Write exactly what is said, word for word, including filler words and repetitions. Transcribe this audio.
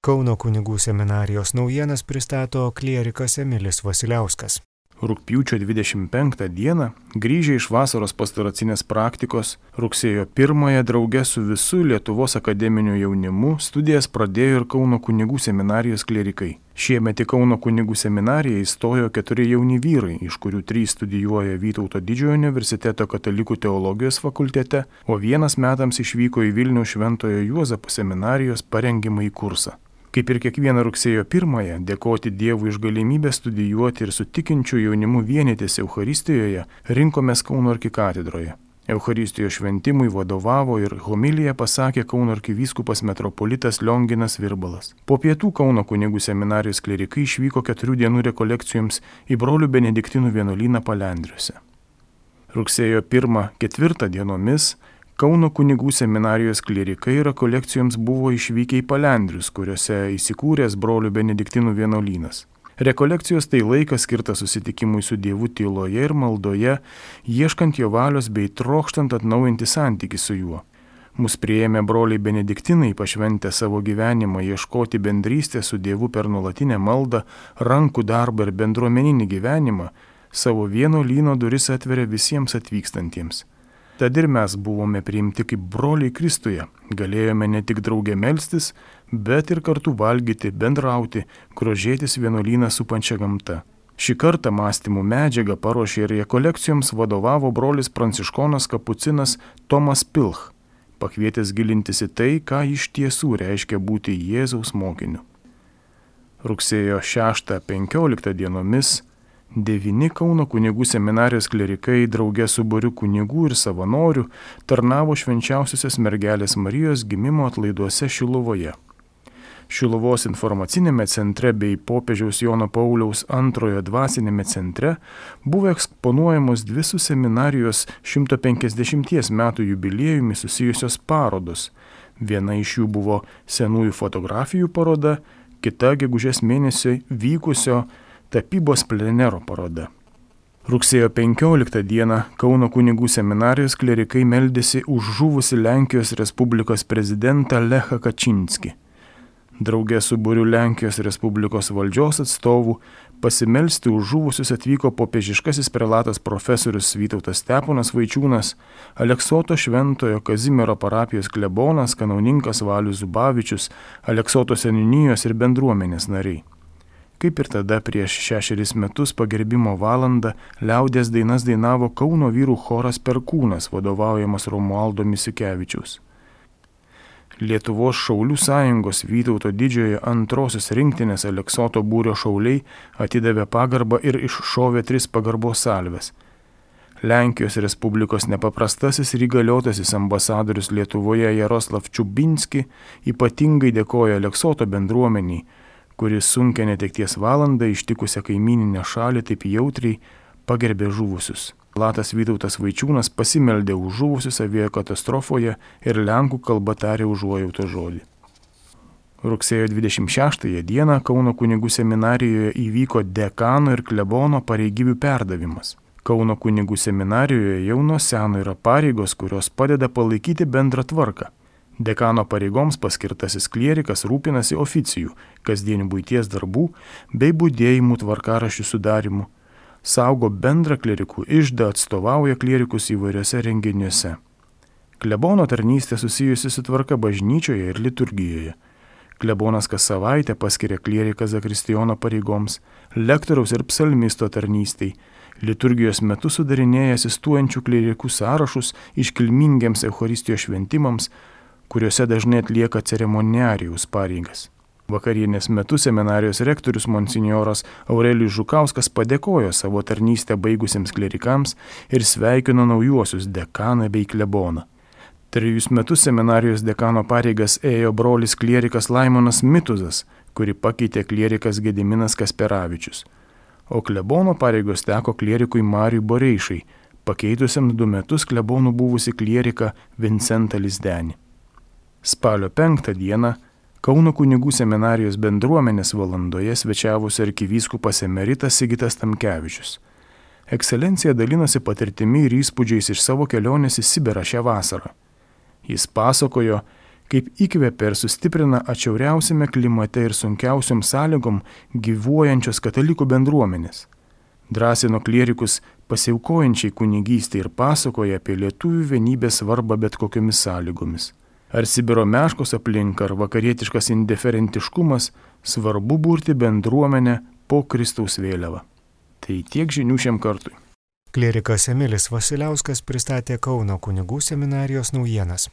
Kauno kunigų seminarijos naujienas pristato klierikas Emilis Vasiliauskas. Rugpjūčio dvidešimt penktą dieną, grįžę iš vasaros pastoracinės praktikos, rugsėjo pirmąją drauge su visu Lietuvos akademiniu jaunimu studijas pradėjo ir Kauno kunigų seminarijos klierikai. Šiemet į Kauno kunigų seminariją įstojo keturi jauni vyrai, iš kurių trys studijuoja Vytauto Didžiojo universiteto katalikų teologijos fakultete, o vienas metams išvyko į Vilniaus Šventojo Juozapo seminarijos parengimąjį kursą. Kaip ir kiekvieną rugsėjo pirmąją, dėkoti Dievui iš galimybę studijuoti ir su tikinčiu jaunimu vienytis Eucharistijoje, rinkomės Kauno arkikatedroje. Eucharistijos šventimui vadovavo ir homiliją pasakė Kauno arkivyskupas metropolitas Lionginas Virbalas. Po pietų Kauno kunigų seminarijos klierikai išvyko keturių dienų rekolekcijoms į brolių benediktinų vienuolyną Palendriuose. Rugsėjo pirmą ketvirtą dienomis Kauno kunigų seminarijos klierikai rekolekcijoms buvo išvykę į Palendrius, kuriuose įsikūręs brolių benediktinų vienuolynas. Rekolekcijos tai laikas skirtas susitikimui su Dievu tyloje ir maldoje, ieškant jo valios bei trokštant atnaujinti santykį su juo. Mus priėmė broliai benediktinai, pašventę savo gyvenimą ieškoti bendrystės su Dievu per nuolatinę maldą, rankų darbą ir bendruomeninį gyvenimą, savo vienuolyno duris atveria visiems atvykstantiems. Tad ir mes buvome priimti kaip broliai Kristuje, galėjome ne tik drauge melstis, bet ir kartu valgyti, bendrauti, grožėtis vienuolyną supančią gamtą. Šį kartą mąstymų medžiagą paruošė ir rekolekcijoms vadovavo brolis pranciškonas kapucinas Tomas Pilch, pakvietęs gilintis į tai, ką iš tiesų reiškia būti Jėzaus mokiniu. Rugsėjo šeštą penkioliktą dienomis devyni Kauno kunigų seminarijos klierikai drauge su būriu kunigų ir savanorių tarnavo švenčiausiosios mergelės Marijos gimimo atlaiduose Šiluvoje. Šiluvos informacinėme centre bei popiežiaus Jono Pauliaus antrojo dvasinėme centre buvo eksponuojamos dvi su seminarijos šimto penkiasdešimties metų jubiliejumi susijusios parodos. Viena iš jų buvo senųjų fotografijų paroda, kita gegužės mėnesį vykusio tapybos plenero paroda. Rugsėjo penkioliktą dieną Kauno kunigų seminarijos klierikai meldėsi už žuvusi Lenkijos Respublikos prezidentą Lechą Kačinskį. Drauge su būriu Lenkijos Respublikos valdžios atstovų pasimelsti už žuvusius atvyko popiežiškasis prelatas profesorius Vytautas Steponas Vaičiūnas, Aleksoto Šventojo Kazimiero parapijos klebonas kanauninkas Valius Zubavičius, Aleksoto seniūnijos ir bendruomenės nariai. Kaip ir tada prieš šešeris metus pagerbimo valandą liaudies dainas dainavo Kauno vyrų choras Perkūnas, vadovaujamas Romualdo Misiukevičiaus. Lietuvos šaulių sąjungos Vytauto Didžiojo antrosios rinktinės Aleksoto būrio šauliai atidavė pagarbą ir iššovė tris pagarbos salves. Lenkijos Respublikos nepaprastasis ir įgaliotasis ambasadorius Lietuvoje Jaroslav Čiubinski ypatingai dėkoja Aleksoto bendruomeniai, kuris sunkia netekties valandą ištikusią kaimyninę šalį taip jautriai pagerbė žuvusius. Latas Vytautas Vaičiūnas pasimeldė už žuvusius aviakatastrofoje ir lenkų kalba tarė užuojauto žodį. Rugsėjo dvidešimt šeštąją dieną Kauno kunigų seminarijoje įvyko dekano ir klebono pareigybių perdavimas. Kauno kunigų seminarijoje jau nuo seno yra pareigos, kurios padeda palaikyti bendrą tvarką. Dekano pareigoms paskirtasis klierikas rūpinasi oficijų, kasdienių buities darbų bei budėjimų tvarkaraščių sudarimu, saugo bendrą klerikų iždą, atstovauja klierikus įvairiose renginiuose. Klebono tarnystė susijusi su tvarka bažnyčioje ir liturgijoje. Klebonas kas savaitę paskiria klieriką zakristijono pareigoms, lektoriaus ir psalmisto tarnystei, liturgijos metu sudarinėja asistuojančių klerikų sąrašus iškilmingiems Eucharistijos šventimams, kuriuose dažnai atlieka ceremoniarijaus pareigas. Vakarienės metu seminarijos rektorius monsinjoras Aurelijus Žukauskas padėkojo savo tarnystę baigusiems klerikams ir sveikino naujuosius dekaną bei kleboną. Trejus metus seminarijos dekano pareigas ėjo brolis klierikas Laimonas Mituzas, kuri pakeitė klierikas Gediminas Kasperavičius, o klebono pareigos teko klierikui Mariui Boreišai, pakeitusiam du metus klebonų buvusi klierika Vincentą Lizdenį. Spalio penktą dieną Kauno kunigų seminarijos bendruomenės valandoje svečiavosi arkivyskupas emeritas Sigitas Tamkevičius. Ekscelencija dalinosi patirtimi ir įspūdžiais iš savo kelionės į Sibirą šią vasarą. Jis pasakojo, kaip įkvepia ir sustiprina atšiauriausiame klimate ir sunkiausiom sąlygom gyvuojančios katalikų bendruomenės. Drąsino klierikus pasiaukojančiai kunigystei ir pasakoja apie lietuvių vienybės svarbą bet kokiomis sąlygomis. Ar Sibiro meškos aplinka, ar vakarietiškas indiferentiškumas, svarbu burti bendruomenę po Kristaus vėliava. Tai tiek žinių šiam kartui. Klierikas Emilis Vasiliauskas pristatė Kauno kunigų seminarijos naujienas.